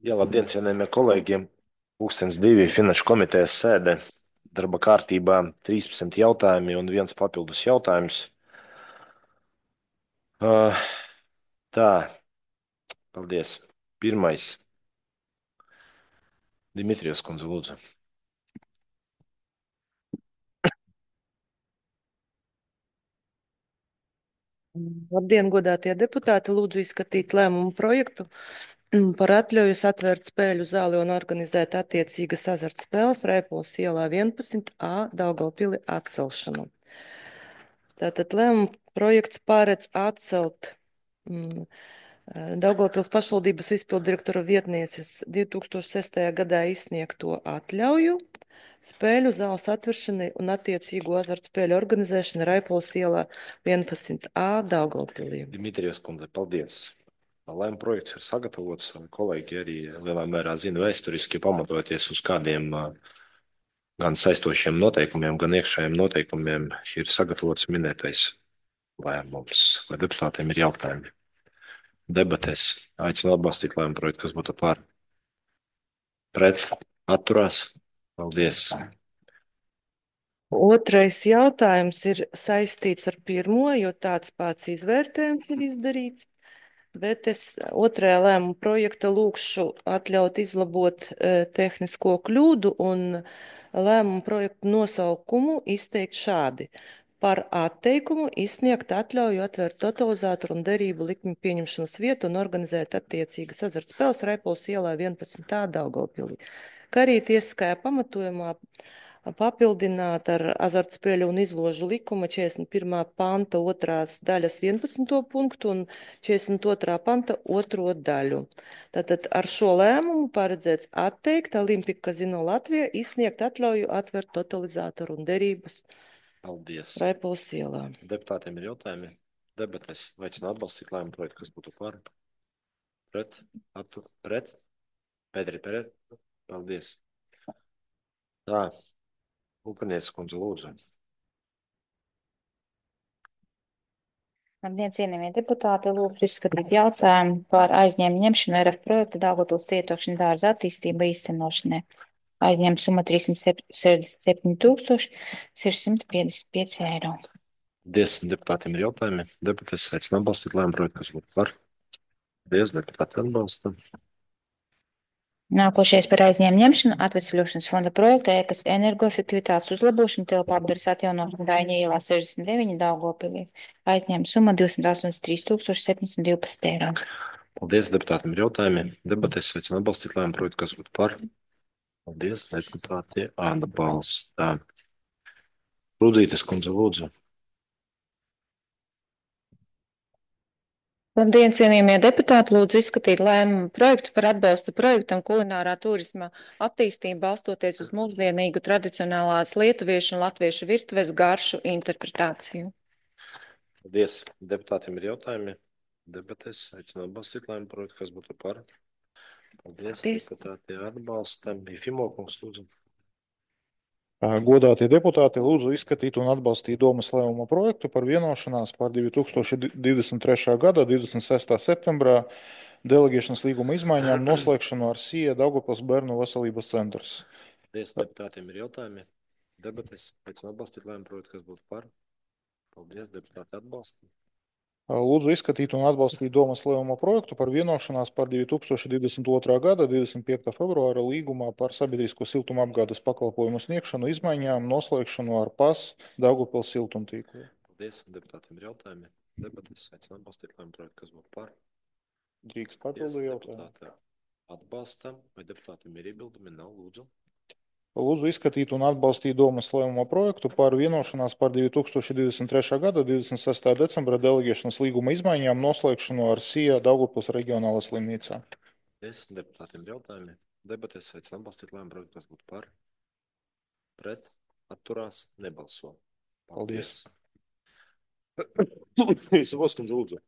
Jā, labdien, cienījamie kolēģiem. Pūkstens 2 finanšu komitejas sēde. Darba kārtībā 13 jautājumi un viens papildus jautājums. Uh, tā, paldies. Pirmais. Dimitrijus kundze, lūdzu. Labdien, godātie deputāti! Lūdzu izskatīt lēmumu projektu par atļaujas atvērt spēļu zāli un organizēt attiecīgas azartspēles Raipols ielā 11A Daugavpili atcelšanu. Tātad lēmumu projekts paredz atcelt Daugavpils pašvaldības izpildirektora vietnieces 2006. gadā izsniegto atļauju spēļu zāles atveršanai un attiecīgo azartspēļu organizēšanai Raipols ielā 11A Daugavpilī. Dimitrijus kundze, paldies. Lēmuma projekts ir sagatavots. Kolēģi arī lielā mērā zina vēsturiski pamatojoties uz kādiem gan saistošiem noteikumiem, gan iekšējiem noteikumiem ir sagatavots minētais lēmums. Vai deputātiem ir jautājumi? Debatēs aicinu atbalstīt lēmumu projektu, kas būtu par pret atturās. Paldies. Otrais jautājums ir saistīts ar pirmo, jo tāds pats izvērtējums ir izdarīts. Bet es otrajā lēmuma projekta lūkšu atļaut izlabot tehnisko kļūdu un lēmuma projektu nosaukumu izteikt šādi. Par atteikumu izsniegt atļauju atvērt totalizatoru un derību likmi pieņemšanas vietu un organizēt attiecīgas azartspēles Raipols ielā 11. Daugavpilī. Kā arī tiesiskajā pamatojumā papildināt ar azartspēļu un izložu likuma 41. panta 2. daļas 11. punktu un 42. panta 2. daļu. Tātad ar šo lēmumu paredzēts atteikt Olimpika Kazino Latvijā izsniegt atļauju atvert totalizatoru un derības Paldies. Raipols ielā. Deputātiem ir jautājumi. Debates aicinu atbalstīt lēmumu projektu, kas būtu par pret. Pēteri, pret. Paldies. Tā. Upanieces kundze, lūdzu. Labdien, cienījamie deputāti, lūdzu izskatīt jautājumu par aizņēmumu ņemšanu RF projekta Daugavpils cietokšņa dārza attīstība īstenošanai. Aizņēmuma summa 367 655 eiro. Paldies, deputātiem ir jautājumi. Debates aicinu atbalstīt lēmumu projektu, kas būtu par. Paldies, deputāti atbalsta. Nākošais par aizņēmumu ņemšanu atvesļošanas fonda projekta ēkas energoefektivitātes uzlabošanu telpāapdares atjaunošanu Daiņa ielā 69 Daugavpilī. Aizņēmuma summa 283 712 eiro. Paldies, deputātiem ir jautājumi. Debates aicinu atbalstīt lēmumu projektu, kas būtu par. Paldies, deputāti atbalsta. Rudzītes kundze, lūdzu. Labdien, cienījamie deputāti! Lūdzu izskatīt lēmumu projektu par atbalstu projektam kulinārā turisma attīstību balstoties uz mūsdienīgu tradicionālās lietuviešu un latviešu virtuves garšu interpretāciju. Paldies, deputātiem ir jautājumi. Debates aicinu atbalstīt lēmumu projektu, kas būtu par. Paldies, deputāti atbalsta. Ifimo kungs, lūdzu. Godātie deputāti, lūdzu izskatīt un atbalstīt domas lēmuma projektu par vienošanās par 2023. gada 26. septembrā deleģēšanas līguma izmaiņām noslēgšanu ar SIE Daugavpils bērnu veselības centrs. Paldies, deputātiem ir jautājumi. Debates aicinu atbalstīt lēmumu projektu, kas būtu par. Paldies, deputāti atbalsta. Lūdzu izskatīt un atbalstīt domas lēmuma projektu par vienošanās par 2022. gada 25. februāra līgumā par sabiedrisko siltuma apgādes pakalpojumu sniegšanu izmaiņām noslēgšanu ar PAS Daugavpils siltumtīklu. Paldies, deputātiem ir jautājumi. Debates aicinu atbalstīt lēmumu projektu, kas būtu par. Drīkst papildu jautājumu. Atbalsta. Vai deputātiem ir iebildumi? Nav, lūdzu. Lūdzu izskatīt un atbalstīt domas lēmuma projektu par vienošanās par 2023. gada 26. decembra deleģēšanas līguma izmaiņām noslēgšanu ar SIE Daugavpils reģionālā slimnīcā. Paldies, deputātiem ir jautājumi. Debates aicinu atbalstīt lēmumu projektu, kas būtu par. Pret. Atturās. Nebalso. Paldies. Savos kundze, lūdzu.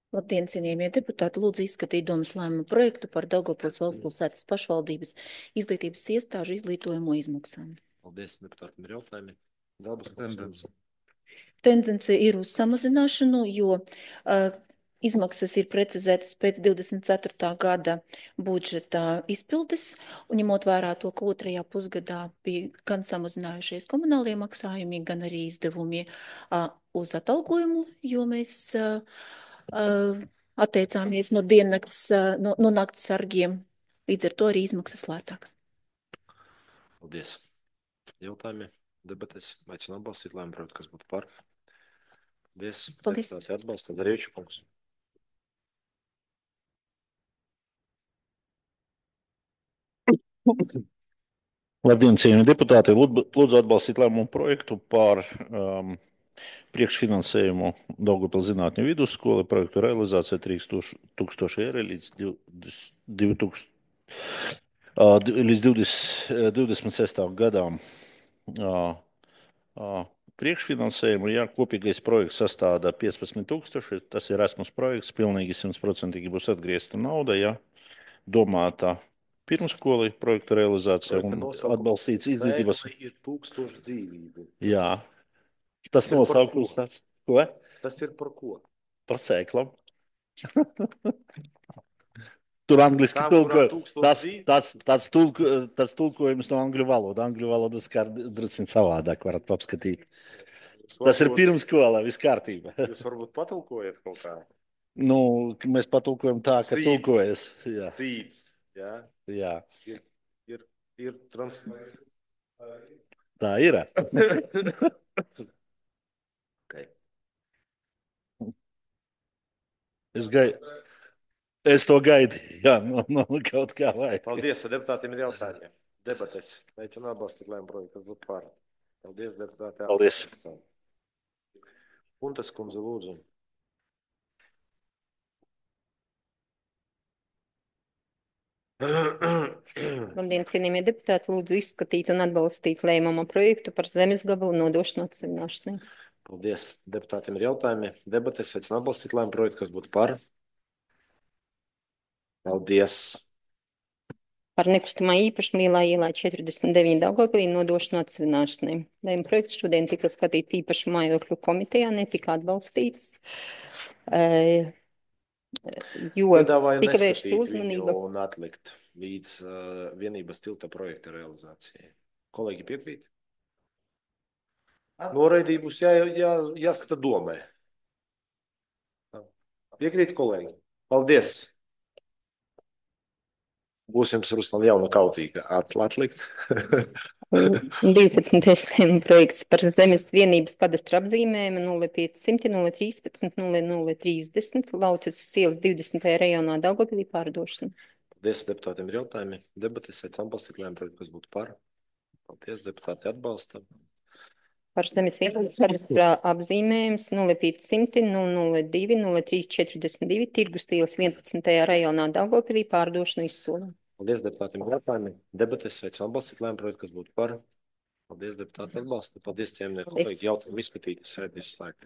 Labdien, cienījamie deputāti! Lūdzu izskatīt domas lēmuma projektu par Daugavpils valstspilsētas pašvaldības izglītības iestāžu izglītojumu izmaksām. Paldies, deputātiem ir jautājumi. Dalbas kungs. tendence ir uz samazināšanu, jo izmaksas ir precizētas pēc 24. gada budžeta izpildes, un ņemot vērā to, ka otrajā pusgadā bija gan samazinājušies komunālie maksājumi, gan arī izdevumi uz atalgojumu, jo mēs atteicāmies no diennakts, no nakts sargiem, līdz ar to arī izmaksas lētāks. Paldies. Jautājumi, debates, aicinu atbalstīt lēmumu projektu, kas būtu par. Paldies. Paldies. Deputāti atbalsta, Darījuši kungs. Labdien, cienījamie deputāti! Lūdzu atbalstīt lēmumu projektu par priekšfinansējumu Daugavpils zinātņu vidusskolai projektu realizācija 3000 eiro līdz 26. gadām. Priekšfinansējumu, ja kopīgais projekts sastāda 15 000, tas ir Erasmus projekts, pilnīgi 100% būs atgriezta nauda, ja domāta pirmskolai projektu realizācija un atbalstīts izglītības. Ir 1000 dzīvību. Jā, tas nosaukums tāds. Ko? Tas ir par ko? Par sēklam. Tur angliski tāds tulkojums no angļu valoda. Angļu valodas kā drusciņ savādāk varat apskatīt. Tas ir pirmskola, viss kārtība. Jūs varbūt patulkojat kaut kā? Nu, mēs patulkojam tā, ka tulkojas. Jā. Cīts, jā? Jā. Ir translēt. Tā ir. Okay. Es to gaidīju, jā, no kaut kā vajag. Paldies, deputātiem ir jautājumi. Debates. Aicinu atbalstīt lēmumu projektu, kas būtu par. Paldies, deputāti. Paldies. Puntas kundze, lūdzu. Labdien, cienījamie deputāti, lūdzu izskatīt un atbalstīt lēmuma projektu par zemes gabalu nodošanu atsevināšanai. Paldies. Deputātiem ir jautājumi. Debates. Aicinu atbalstīt lēmumu projektu, kas būtu par. Paldies. Par nekustamā īpašuma Lielā ielā 49 Daugavpilī nodošanu atsevināšanai. Lēmuma projekts šodien tika skatīts īpašu mājokļu komitejā, netika atbalstīts, jo tika vērsta uzmanība. Un atlikt līdz vienības tilta projekta realizācijai. Kolēģi piekrīt? Noraidību būs jāskata domē. Piekrīt, kolēģi? Paldies! Būsim Ruslan jauna kaudzīga atlikt. 12. lēmuma projekts par zemes vienības kadastra apzīmējumu 0500 013 0030 Lauces ielas 20. rajonā Daugavpilī pārdošanu. Paldies, deputātiem ir jautājumi. Debates aicinu atbalstīt lēmumu projektu, kas būtu par. Paldies, deputāti atbalsta. Par zemes vienības kadastra apzīmējums 0500 002 0342 Tirgus ielas 11. rajonā Daugavpilī pārdošanu izsolām. Paldies, deputātiem ir jautājumi. Debates aicinu atbalstīt lēmumu projektu, kas būtu par. Paldies, deputāti atbalsta. Paldies, cienījamie kolēģi. Jautājumu izskatīt, sēdi izslēgt.